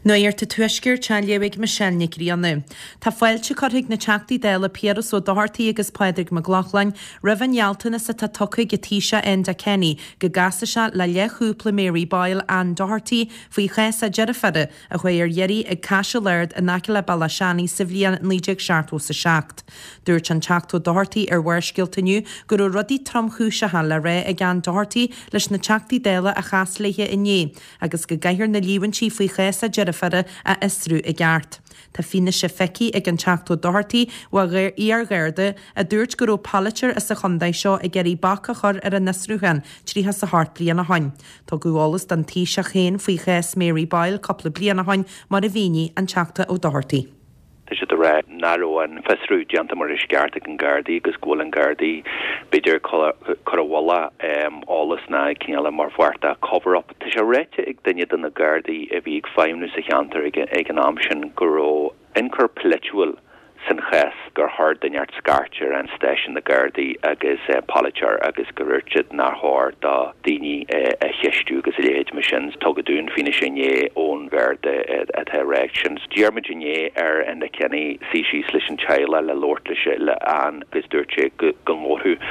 Nuacht an Tuaiscirt á léamh ag Michelle Nic Grianna. Tá fáilte curtha ag na Teachtaí Dála Piaras Ó Dochartaigh agus Pádraig Mac Lochlainn roimh an ghealltanas atá tugtha ag an Taoiseach Enda Kenny go gcasfaidh sé le leathchúpla Mary Boyle, Anne Doherty, faoi chás a deirféara a chuaigh ar iarraidh ag Caiseal Ard in aice le Bealach Seanaidh sa bhliain 1977. Dúirt an Teachta Ó Dochartaigh ar Bharrscéalta inniu go raibh rudaí tromchúiseacha le rá ag Anne Doherty leis na Teachtaí Dála a chas léi inné agus go gcaithfear na líomhaintí faoi chás a deirféara a fhiosrú i gceart. Tá fianaise feicthe ag an Teachta Ó Dochartaigh ó iar-gharda a dúirt go raibh polaiteoir as an chontae seo ag iarraidh bac a chur ar an fhiosrúchán 38 bliain ó shoin. Tugadh eolas don Taoiseach féin faoi chás Mary Boyle cúpla bliain ó shoin, mar a mhínigh an Teachta Ó Dochartaigh. Tá siad ag rá nach raibh an fiosrú déanta mar is ceart ag an Gardaí agus go bhfuil an Gardaí b'fhéidir ag cur i bhfolach eolas ná cineál mar pháirt de cover up. Tá sé ráite ag duine de na Gardaí a bhí ag feidhmniú sa cheantar ag an am sin go raibh ionchur polaitiúil san chás, gur chuir duine inteacht scairt ar an stáisiún na Gardaí agus polaiteoir agus gur dhúirt siad nár chóir do daoine a cheistiú agus a leithéid mar sin. Tugadh dúinn fianaise inné ón Gharda atá ag rá sin. D'iarr muid inné ar Enda Kenny suí síos leis an teaghlach le labhairt leis le Anne agus dúirt sé go ngabhfadh.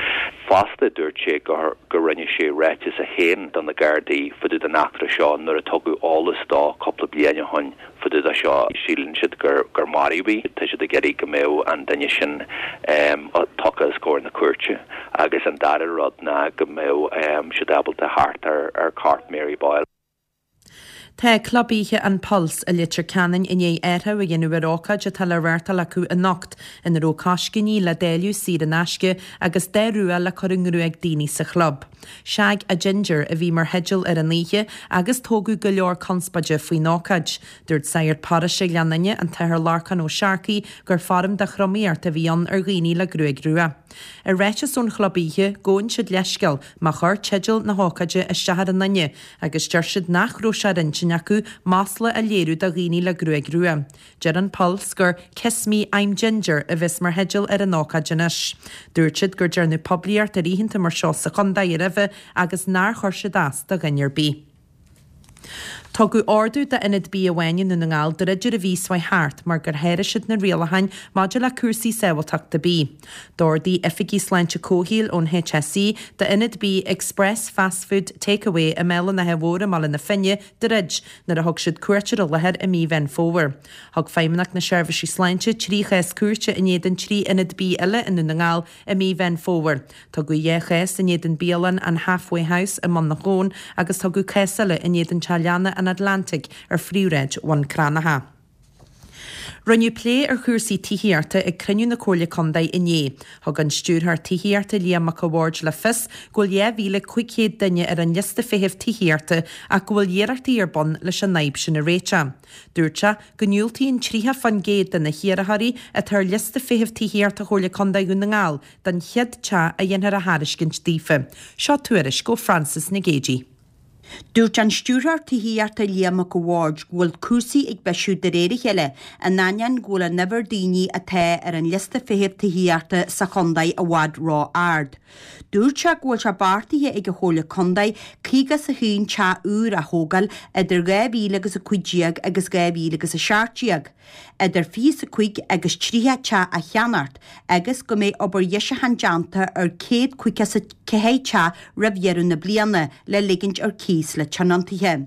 Fosta dúirt sé gur rinne sé ráiteas é féin do na Gardaí fá dtaobh den eachtra seo nuair a tugadh eolas dó cúpla bliain ó shoin fá dtaobh de seo. Síleann siad gur maraíodh í. Tá siad ag iarraidh go mbeadh an duine sin tugtha os comhair na cúirte agus an dara rud ná go mbeadh siad ábalta theacht ar chorp Mary Boyle. Tá Club Oíche An Pulse i Leitir Ceanainn i ndiaidh athrú a dhéanamh ar ócáid atá le reáchtáil acu anocht, ina raibh coiscíní le dáileadh saor in aisce agus dath rua le cur i ngruaig daoine sa chlub. Shag a Ginger a bhí mar theideal ar an oíche agus tógadh go leor conspóide faoin ócáid. Dúirt Sagart Paróiste Ghleann Fhinne, an tAthair Lorcán Ó Searcaigh, gur foirm de thromaíocht a bhí ann ar dhaoine le gruaig rua. I ráiteas ón chlub oíche, gabhann siad leithscéal má chuir teideal na hócáide isteach ar aon duine agus deir siad nach raibh sé ar intinn acu masla a léiriú do dhaoine le gruaig rua. Deir an Pulse gur 'Kiss Me, I'm Ginger' a bheas mar theideal ar an ócáid anois. Dúirt siad gur dearnadh poiblíocht ar oícheanta mar seo sa chontae roimhe agus nár chuir siad as do dhuine ar bith. Tugadh ordú d'ionad bia amháin i nDún na nGall druid ar an mhí seo chuaigh thart mar gur sháraigh siad na rialacháin maidir le cúrsaí sábháilteachta bídh. D'ordaigh oifigigh sláinte comhshaoil ón HSE d'ionad bídh Express Fast Food Takeaway i mBéal an Átha Mhóir i mBaile na Finne druid nuair a thug siad cuairt ar an láthair i mí Mheán Fómhair. Thug Feidhmeannacht na Seirbhísí Sláinte 3 chás cúirte in éadan 3 ionad bídh eile i nDún na nGall i mí Mheán Fómhair. Tugadh 2 chás in éadan bialann an Halfway House i mBun na hAbhann agus tugadh cás eile in éadan teach leanna an Atlantic ar phríomhshráid Bhun Cranncha. Rinneadh plé ar chúrsaí tithíochta ag cruinniú na Comhairle Contae inné. Thug an Stiúrthóir Tithíochta Liam Mac a' Bhaird le fios go bhfuil 2,500 duine ar an liosta feithimh tithíochta ach go bhfuil iarrachtaí ar bun leis an fhadhb sin a réiteach. Dúirt sé go ndiúltaíonn 30% de na hiarrthóirí atá ar liosta feithimh tithíochta Chomhairle Contae Dhún na nGall don chéad teach a dhéanfar a thairiscint daofa. Seo tuairisc ó Frances Nic Géadaigh. Dúirt an Stiúrthóir Tithíochta Liam Mac a' Bhaird go bhfuil cúrsaí ag bisiú de réir a chéile in ainneoin go bhfuil an uimhir daoine atá ar an liosta feithimh tithíochta sa chontae i bhfad ró-ard. Dúirt sé go bhfuil sé beartaithe ag an Chomhairle Contae 51 teach úr a thógáil idir 2000 agus 15 agus 2017, idir 25 agus 30 teach a cheannacht agus go mbeidh obair dheisiúcháin déanta ar 154 teach roimh dheireadh na bliana le ligint ar cíos le tionóntaithe.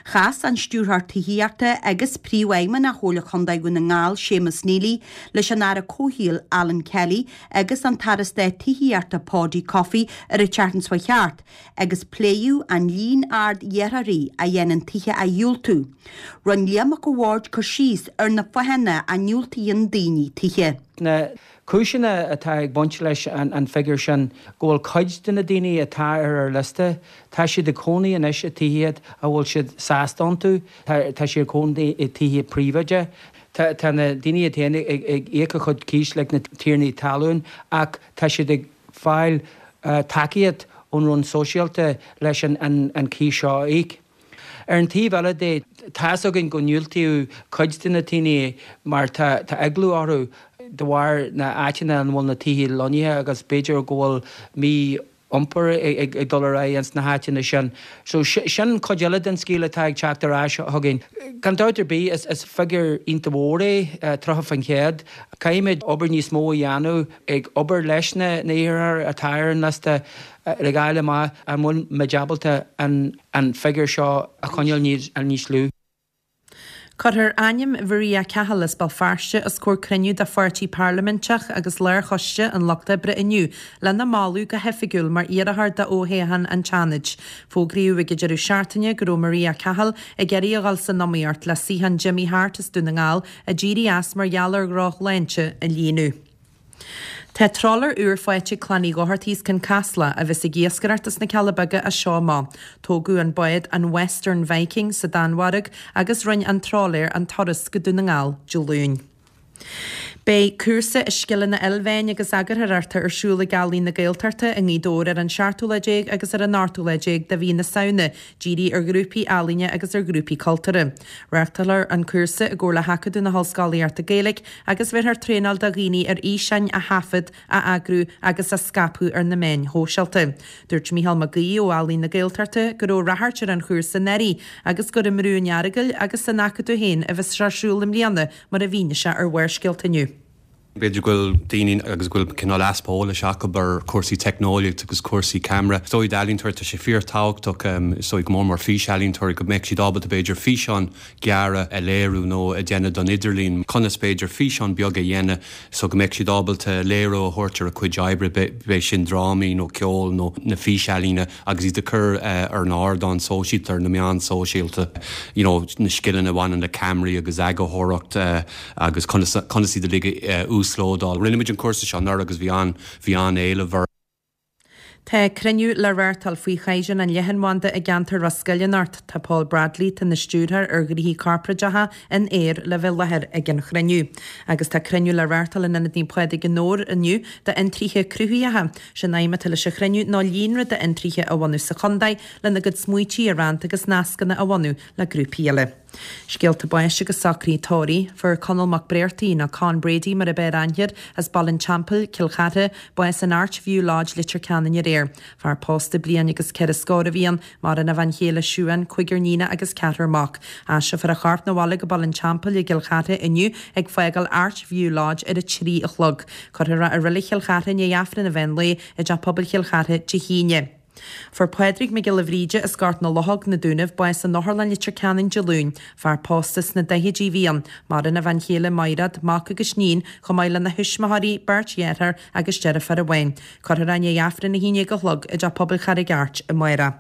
Chas an Stiúrthóir Tithíochta agus Príomhfheidhmeannach Chomhairle Chontae Dhún na nGall, Séamus Neely, leis an Aire Comhshaoil, Alan Kelly, agus an tAire Stáit Tithíochta, Paudie Coffey, ar an tseachtain seo chuaigh thart, agus pléadh an líon ard iarrthóirí a dhéanann tithe a dhiúltú. Rinne Liam Mac a' Bhaird cur síos ar na fáthanna a ndiúltaíonn daoine tithe. Na cúiseanna atá ag baint leis an bhfigiúr sin, go bhfuil cuid de na daoine atá ar ár liosta, tá siad ag cónaí anois i tithe a bhfuil siad sásta iontu, tá siad ag cónaí i tithe príobháideacha. Tá na daoine iad féin ag íoc a chuid cíos leis na tiarnaí talún ach tá siad ag fáil tacaíocht ón Roinn Sóisialta leis an cíos seo a íoc. Ar an taobh eile de, tá's againn go ndiúltaíodh cuid de na daoine mar tá eagla orthu de bharr na áiteanna ina bhfuil na tithe lonnaithe agus b'fhéidir go bhfuil mí. iompar ag dul ar aghaidh ins na háiteanna sin. So sin cuid eile den scéal atá ag teacht ar ais chugainn. Gan dabht ar bith is figiúr iontach mhór é 30%. Caithfimid obair níos mó a dhéanamh ag obair leis na hiarrthóirí atá ar an liosta ag fháil amach an bhfuil muid ábalta an figiúr seo a choinneáil níos lú. Cuirfear ainm Mharia Cahill as Béal Feirste os comhair cruinniú de pháirtí parlaiminteach agus lárchoiste an Lucht Oibre inniu lena moladh go hoifigiúil mar iarrthóir d'fhothoghchán an tSeanaid. Fógraíodh ag an deireadh seachtaine go raibh Maria Cahill ag iarraidh a dhul san iomaíocht le suíochán Jimmy Harte as Dún na nGall a d'éirigh as mar gheall ar dhrochshláinte a líonadh. Tá trawler úr faighte ag Clann Uí Dhochartaigh as Cionn Caslach a bheas ag iascaireacht as na Cealla Beaga as seo amach. Tógadh an bád, an Western Viking, sa Danmhairg agus rinne an trawlaer an turas go Dún na nGall Dé Luain. Beidh cúrsa i scileanna ilmheáin agus eagarthóireachta ar siúl ag Ealaín na Gaeltachta i nGaoth Dobhair ar an seachtú lá déag agus ar an ochtú lá déag de mhí na Samhna, dírithe ar ghrúpaí ealaíne agus ar ghrúpaí cultúrtha. Reáchtálfar an cúrsa i gcomhar le hAcadamh na hOllscolaíochta Gaeilge agus bhéarfar traenáil do dhaoine ar fhíseáin a thaifead, a eagrú agus a scaipeadh ar na meáin shóisialta. Dúirt Mícheál Mac Aoidh ó Ealaín na Gaeltachta go raibh ráchairt ar an chúrsa anuraidh agus gur i mBrú an Earagail agus san Acadamh féin a bheas sé ar siúl i mbliana mar a mhínigh sé ar Bharrscéalta inniu. B'fhéidir go bhfuil daoine agus go bhfuil cineál easpa eolais acu ar chúrsaí teicneolaíocht agus cúrsaí ceamara. Is dóigh d'ealaíontóirí tá sé fíorthábhachtach, is dóigh go mór mór físealaíontóirí, go mbeadh siad ábalta b'fhéidir físeáin ghearra a léiriú nó a dhéanamh don idirlíon. Conas b'fhéidir físeán beag a dhéanamh so go mbeadh siad ábalta léiriú a thabhairt ar a cuid oibre, b'é sin drámaí nó ceol nó na físealaíona agus iad a chur ar an ardán sóisialta, ar na meáin sóisialta, you know na scileanna a bhaineann le ceamaraí agus eagarthóireacht. agus conas conas iad uilig a uaslódáil. Rinne muid an cúrsa seo anuraidh agus bhí an bhí an-éileamh air. Tá cruinniú le reáchtáil faoi chaighdeán an leathanbhanda i gceantar Ros Goill anocht. Tá Paul Bradley, atá ina stiúrthóir ar ghnoithí corparáideacha in Eir le bheith i láthair ag an chruinniú. Agus tá cruinniú le reáchtáil in Ionad Naomh Pádraig i nDobhar inniu d'fhiontraithe cruthaitheacha. Sé'n aidhm atá leis an chruinniú ná líonra d'fhiontraithe a bhunú sa chontae lena gcuid smaoití a roinnt agus nascanna a bhunú le grúpaí eile. Scéalta báis agus socruithe tórraimh. Fuair Conall Mac Bréartaigh, nó Con Brady mar ab fhearr aithne air, as Baile an Teampaill, Cill Chartha, bás in Arch View Lodge, Leitir Ceanainn aréir. Fear pósta bliain agus ceithre scór a bhí ann. Maireann a bhean chéile Siuán, cúigear níonach agus ceathrar mac. Aistreofar a chorp 'na bhaile go Baile an Teampaill i gCill Chartha inniu ag fágáil Arch View Lodge ar a 3 a chlog. Cuirfear é i Reilig Chill Chartha i ndiaidh Aifreann an mheán lae i dTeach Pobail Chill Chartha Dé hAoine. Fuair Pádraig Mac Giolla Bhríde as Gort na Luchóg, Na Dúnaibh, bás in Otharlann Leitir Ceanainn Dé Luain. Fear pósta sna daichidí a bhí ann. Maireann a bhean chéile Maighread, mac agus níon, chomh maith lena thuismitheoirí, beirt dheartháir agus deirfiúr amháin. Cuirfear é i ndiaidh Aifreann 11 a chlog i dTeach Pobail Charraig Airt amárach.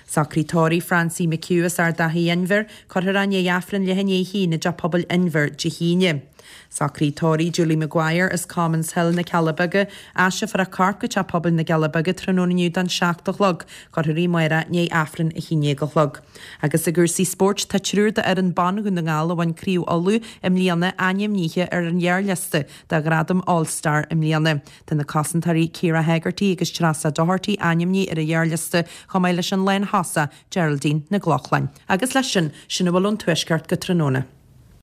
Socruithe tórraimh Francie McHugh as Ard Achaidh Inbhir, Cuirfear é i ndiaidh Aifreann leath i ndiaidh a haon i dTeach Pobail Inbhir Dé hAoine. Socruithe tórraimh Julie Maguire as Commons Hill, Na Cealla Beaga, Aistreofar a corp go Teach Pobail na gCealla Beaga tráthnóna inniu don 7 a chlog. Cuirfear í amárach i ndiaidh Aifreann 11 a chlog. Agus i gcúrsaí spóirt, tá triúr d'fhoireann ban Dhún na nGall a bhain Craobh Uladh i mbliana ainmnithe ar an ghearrliosta do ghradam All Star i mbliana. Tá na cosantóirí Ciara Hegarty agus Treasa Doherty ainmnithe ar an ghearrliosta chomh maith leis an lánthosach Geraldine Nic Lochlainn. Agus leis sin, sin a bhfuil ón Tuaisceart go tráthnóna.